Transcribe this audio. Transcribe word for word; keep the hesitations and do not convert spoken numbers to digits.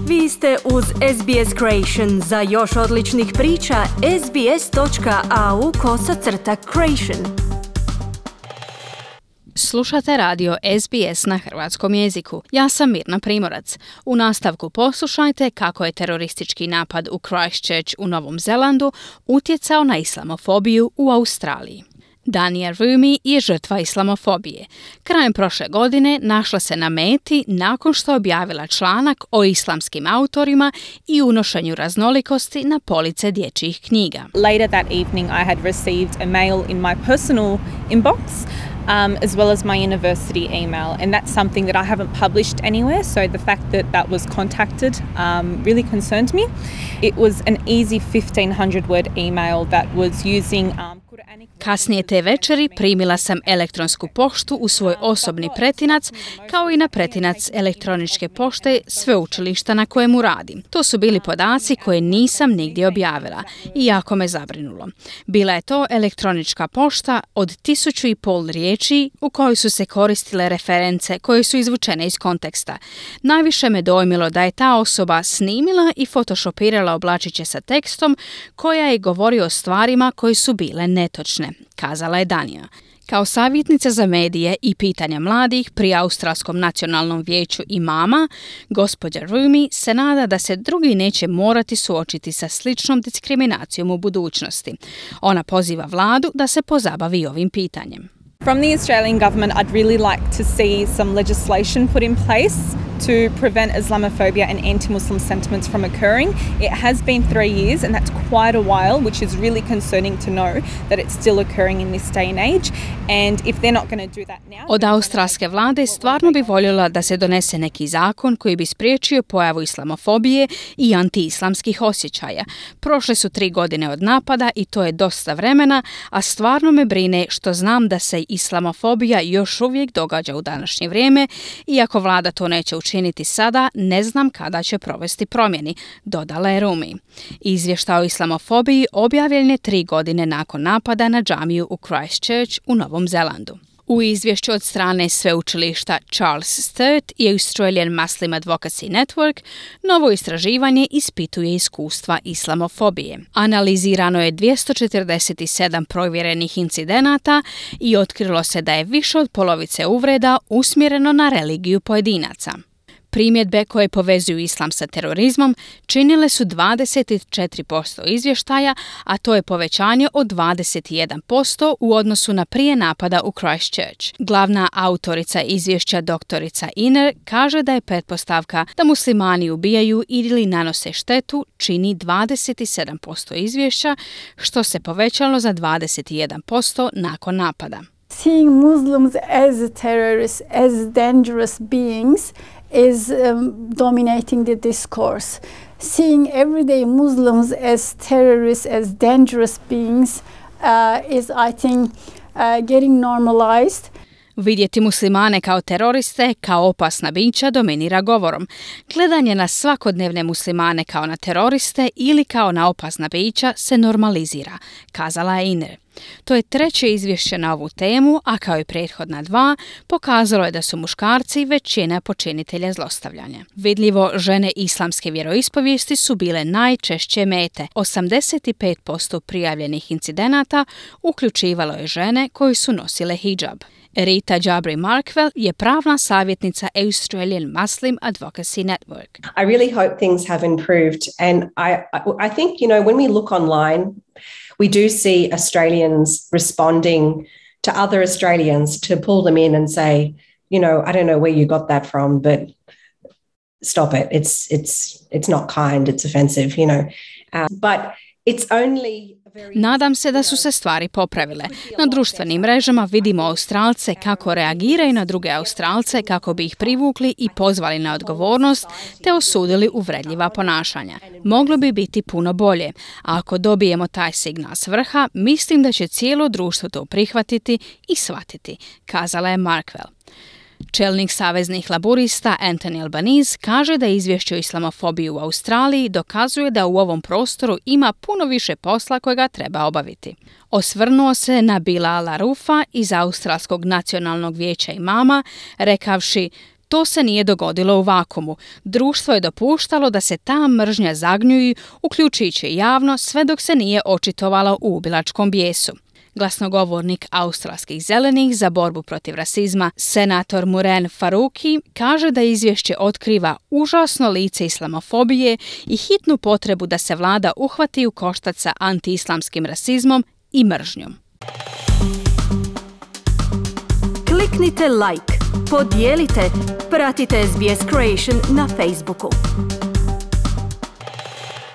Vi ste uz S B S Creation. Za još odličnih priča, sbs.au kosacrta creation. Slušate radio S B S na hrvatskom jeziku. Ja sam Mirna Primorac. U nastavku poslušajte kako je teroristički napad u Christchurch u Novom Zelandu utjecao na islamofobiju u Australiji. Dania Rumi je žrtva islamofobije. Krajem prošle godine našla se na meti nakon što je objavila članak o islamskim autorima i unošenju raznolikosti na police dječjih knjiga. Later that evening I had received a mail in my personal inbox um, as well as my university email, and that's something that I haven't published anywhere, so the fact that that was contacted um, really concerned me. It was an easy fifteen hundred word email that was using um, Kasnije te večeri primila sam elektronsku poštu u svoj osobni pretinac, kao i na pretinac elektroničke pošte sveučilišta na kojemu radim. To su bili podaci koje nisam nigdje objavila i jako me zabrinulo. Bila je to elektronička pošta od tisuću i pol riječi u kojoj su se koristile reference koje su izvučene iz konteksta. Najviše me dojmilo da je ta osoba snimila i photoshopirala oblačiće sa tekstom koja je govorio o stvarima koje su bile netočne, kazala je Dania. Kao savjetnica za medije i pitanja mladih pri Australskom nacionalnom vijeću imama, gospođa Rumi se nada da se drugi neće morati suočiti sa sličnom diskriminacijom u budućnosti. Ona poziva vladu da se pozabavi ovim pitanjem. From the Australian government, I'd really like to see some legislation put in place to prevent Islamophobia and anti-Muslim sentiments from occurring. It has been three years and that's quite a while, which is really concerning to know that it's still occurring in this day and age. And if they're not going to do that now... Od australske vlade stvarno bi voljela da se donese neki zakon koji bi spriječio pojavu islamofobije i anti-islamskih osjećaja. Prošle su tri godine od napada i to je dosta vremena, a stvarno me brine što znam da se islamofobija još uvijek događa u današnje vrijeme, iako vlada to neće učiniti sada, ne znam kada će provesti promjeni, dodala je Rumi. Izvještaj o islamofobiji objavljen je tri godine nakon napada na džamiju u Christchurch u Novom Zelandu. U izvješću od strane sveučilišta Charles Sturt i Australian Muslim Advocacy Network novo istraživanje ispituje iskustva islamofobije. Analizirano je dvjesto četrdeset sedam provjerenih incidenata i otkrilo se da je više od polovice uvreda usmjereno na religiju pojedinaca. Primjedbe koje povezuju islam sa terorizmom činile su dvadeset četiri posto izvještaja, a to je povećanje od dvadeset jedan posto u odnosu na prije napada u Christchurch. Glavna autorica izvješća doktorica Iner kaže da je pretpostavka da muslimani ubijaju ili nanose štetu čini dvadeset sedam posto izvješća, što se povećalo za dvadeset jedan posto nakon napada. Seeing Muslims as terrorists, as dangerous beings is um, dominating the discourse. Seeing everyday Muslims as terrorists, as dangerous beings uh, is, I think, uh, getting normalized. Vidjeti muslimane kao teroriste, kao opasna bića dominira govorom. Gledanje na svakodnevne muslimane kao na teroriste ili kao na opasna bića se normalizira, kazala je Iner. To je treće izvješće na ovu temu, a kao i prethodna dva, pokazalo je da su muškarci većina počinitelja zlostavljanja. Vidljivo, žene islamske vjeroispovijesti su bile najčešće mete. osamdeset pet posto prijavljenih incidenata uključivalo je žene koji su nosile hidžab. Rita Jabri Markwell je pravna savjetnica Australian Muslim Advocacy Network. I really hope things have improved, and I, I, I think, you know, when we look online, we do see Australians responding to other Australians to pull them in and say, you know, I don't know where you got that from, but stop it. It's it's it's not kind. It's offensive, you know. Um, but it's only Nadam se da su se stvari popravile. Na društvenim mrežama vidimo Australce kako reagiraju na druge Australce kako bi ih privukli i pozvali na odgovornost te osudili uvredljiva ponašanja. Moglo bi biti puno bolje, a ako dobijemo taj signal s vrha, mislim da će cijelo društvo to prihvatiti i shvatiti, kazala je Markwell. Čelnik saveznih laburista Anthony Albanese kaže da izvješće o islamofobiji u Australiji dokazuje da u ovom prostoru ima puno više posla kojega treba obaviti. Osvrnuo se na Bilala Rufa iz Australskog nacionalnog vijeća imama, rekavši: To se nije dogodilo u vakumu. Društvo je dopuštalo da se ta mržnja zagnjuji, uključujući javno, sve dok se nije očitovala u ubilačkom bijesu. Glasnogovornik australskih zelenih za borbu protiv rasizma, senator Muren Faruqi, kaže da izvješće otkriva užasno lice islamofobije i hitnu potrebu da se vlada uhvati u koštac sa antiislamskim rasizmom i mržnjom. Kliknite like, podijelite, pratite S B S Creation na Facebooku.